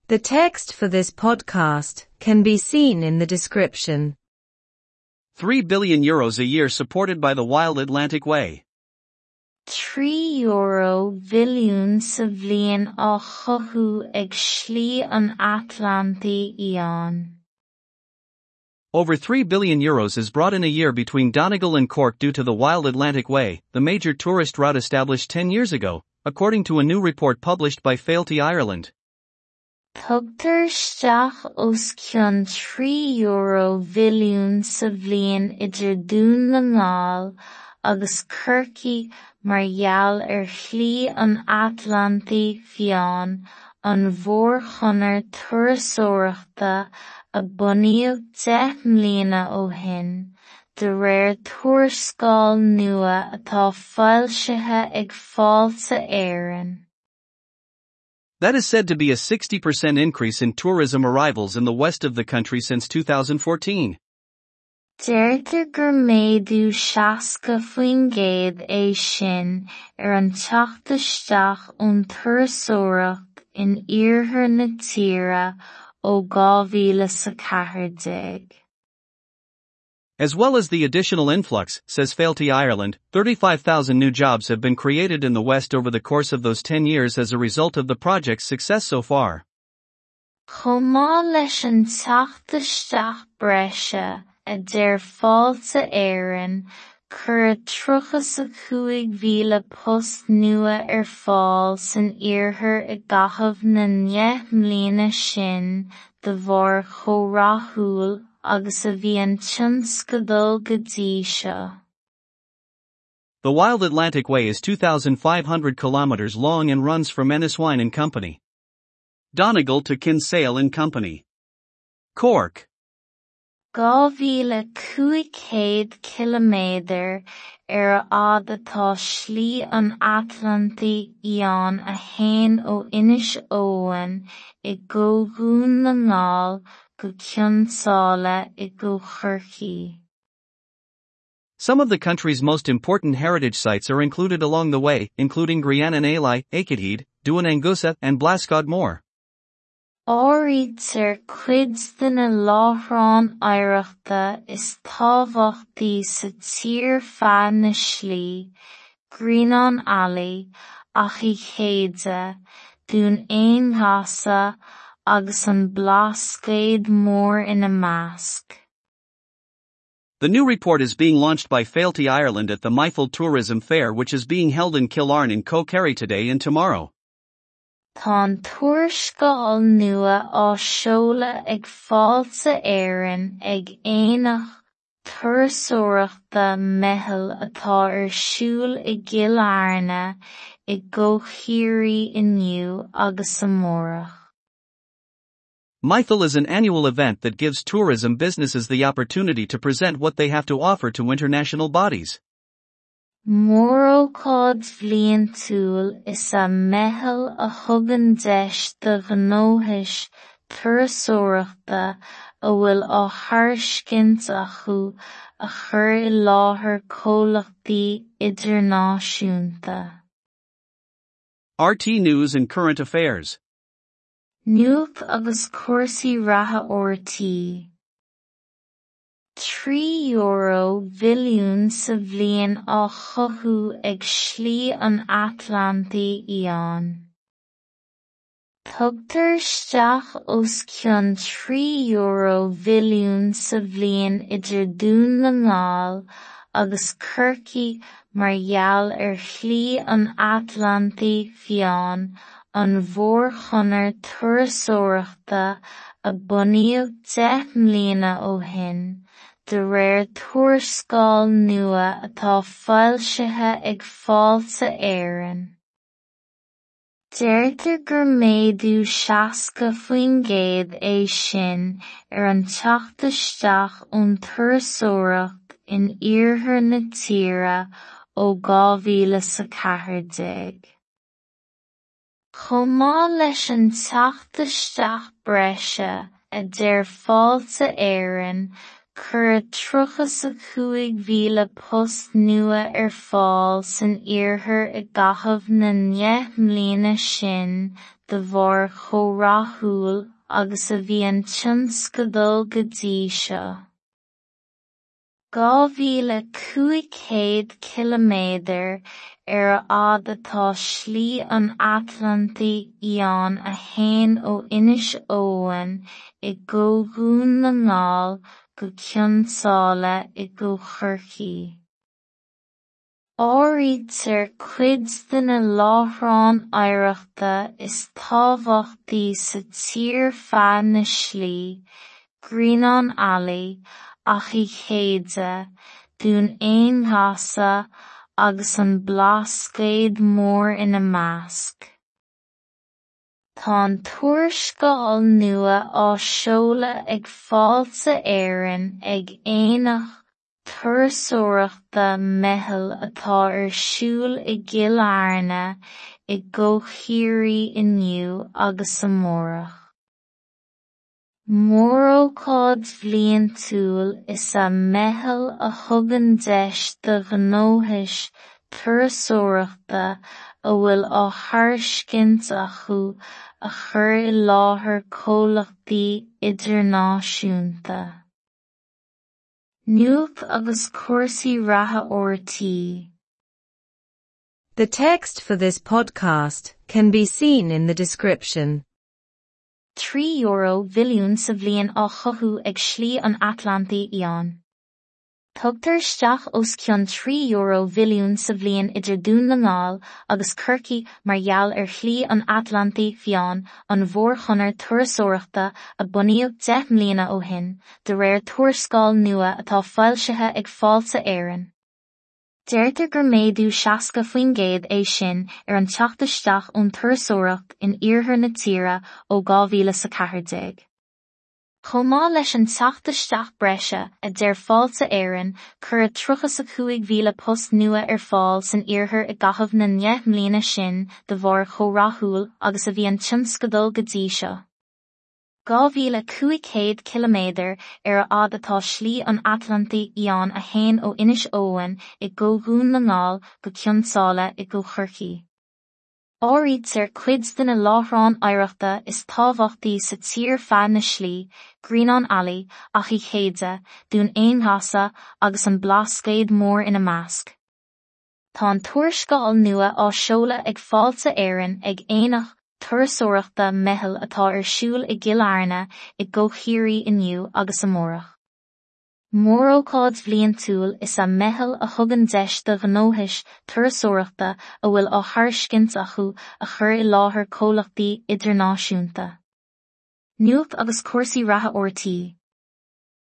The text for this podcast can be seen in the description. €3 billion a year supported by the Wild Atlantic Way. €3 bhilliún sa bhliain á chothú ag Slí an Atlantaigh Fhiáin. Over €3 billion is brought in a year between Donegal and Cork due to the Wild Atlantic Way, the major tourist route established 10 years ago, according to a new report published by Fáilte Ireland. Tugtar isteach os cionn €3 bhilliún sa bhliain idir Dún na nGall agus Corcaigh mar gheall ar Shlí an Atlantaigh Fhiáin, an mhórchonair turasóireachta a bunaíodh 10 mbliana ó shin, de réir tuarascáil nua atá foilsithe ag Fáilte Éireann. That is said to be a 60% increase in tourism arrivals in the west of the country since 2014. Deirtear gur méadú 60% é sin ar an teacht isteach ón turasóireacht in iarthar na tíre ó 2014. As well as the additional influx, says Fáilte Ireland, 35,000 new jobs have been created in the West over the course of those 10 years as a result of the project's success so far. Chomh maith leis an teacht isteach breise, a deir Fáilte Éireann, cuireadh 35,000 post nua ar fáil san iarthar i gcaitheamh na ndeich mbliana sin de bharr chomh rathúil agus a bhí an tionscadal go dtí seo. The Wild Atlantic Way is 2,500 kilometers long and runs from Enniswine and Company, Donegal to Kinsale and Company, Cork. 2,500 ciliméadar ar a fhad atá Slí an Atlantaigh Fhiáin a théann ó Inis Eoghain i gCo Dhún na nGall go Cionn tSáile i gCo Chorcaí. Some of the country's most important heritage sites are included along the way, including Grianan Ailigh, Aikenhead, Dún Aonghasa, and Blascaod Mór. Áirítear cuid de na láithreáin oidhreachta is tábhachtaí sa tír feadh na slí, Grianán Ailigh, Achadh Chéide, Dún Aonghasa agus an Blascaod Mór ina measc. The new report is being launched by Fáilte Ireland at the Meitheal Tourism Fair, which is being held in Cill Airne in Co Kerry today and tomorrow. Tá an tuarascáil nua á seoladh ag Fáilte Éireann ag Aonach Turasóireachta Meitheal atá ar siúl i gCill Airne i gCo Chiarraí inniu agus amárach. Meitheal is an annual event that gives tourism businesses the opportunity to present what they have to offer to international bodies. Mórócáid bhliantúil is ea Meitheal a thugann deis do ghnóthais turasóireachta a bhfuil á thairiscint acu a chur i láthair comhlachtaí idirnáisiúnta. RTÉ News and Current Affairs. Nuacht agus cúrsaí reatha RTÉ. €3 bhilliún sa bhliain á chothú ag Slí an Atlantaigh Fhiáin. Tugtar isteach os cionn €3 bhilliún sa bhliain idir Dún na nGall agus Corcaigh mar gheall ar Shlí an Atlantaigh Fhiáin, an mhórchonair turasóireachta a bunaíodh 10 mbliana ó shin, de réir tuarascáil nua atá foilsithe ag Fáilte Éireann. Deirtear gur méadú 60% é sin ar an teacht isteach ón turasóireacht in iarthar na tíre ó 2014. Chomh maith leis an teacht isteach breise, a deir Fáilte Éireann, cuireadh 35,000 post nua ar fáil san iarthar i gcaitheamh na ndeich mbliana sin de bharr chomh rathúil agus a bhí an tionscadal go dtí seo. 2,500 ciliméadar ar a fhad atá Slí an Atlantaigh Fhiáin a théann ó Inis Eoghain i gCo Dhún na nGall go Cionn tSáile i gCo Chorcaí. Áirítear cuid de na láithreáin oidhreachta is tábhachtaí sa tír feadh na slí, Grianán Ailigh, Achadh Chéide, Dún Aonghasa agus an Blascaod Mór ina measc. Tá an tuarascáil nua á seoladh ag Fáilte Éireann ag Aonach Turasóireachta Meitheal atá ar siúl i gCill Airne i gCo Chiarraí inniu agus amárach. Mórócáid bhliantúil is ea Meitheal a thugann deis do ghnóthais turasóireachta a bhfuil á thairiscint acu a chur i láthair comhlachtaí idirnáisiúnta. Nuacht agus cúrsaí reatha RTÉ. The text for this podcast can be seen in the description. €3 bhilliún sa bhliain á chothú ag Slí an Atlantaigh Fhiáin. Tugtar isteach os cionn €3 bhilliún sa bhliain idir Dún na nGall agus Corcaigh mar gheall ar Shlí an Atlantaigh Fhiáin, an mhórchonair turasóireachta a bunaíodh 10 mbliana ó shin, de réir tuarascáil nua atá foilsithe ag Fáilte Éireann. Deirtear gur méadú 60% é sin ar an teacht isteach ón turasóireacht in iarthar na tíre ó 2014. Chomh maith leis an teacht isteach breise, a deir Fáilte Éireann, cuireadh 35,000 post nua ar fáil san iarthar i gcaitheamh na ndeich mbliana sin de bharr chomh rathúil agus a bhí an tionscadal go dtí seo. 2,500 ciliméadar ar a fhad atá Slí an Atlantaigh Fhiáin a théann ó Inis Eoghain i gCo Dhún na nGall go Cionn tSáile i gCo Chorcaí. Áirítear cuid de na láithreáin oidhreachta is tábhachtaí sa tír feadh na slí, Grianán Ailigh, Achadh Chéide, Dún Aonghasa agus an Blascaod Mór ina measc. Tá an tuarascáil nua á seoladh ag Fáilte Éireann ag Aonach Turasóireachta Meitheal atá ar siúl i gCill Airne i gCo Chiarraí inniu agus amárach. Mórócáid bhliantúil is ea Meitheal a thugann deis do ghnóthais turasóireachta a bhfuil á thairiscint acu a chur i láthair comhlachtaí idirnáisiúnta. Nuacht agus cúrsaí reatha RTÉ.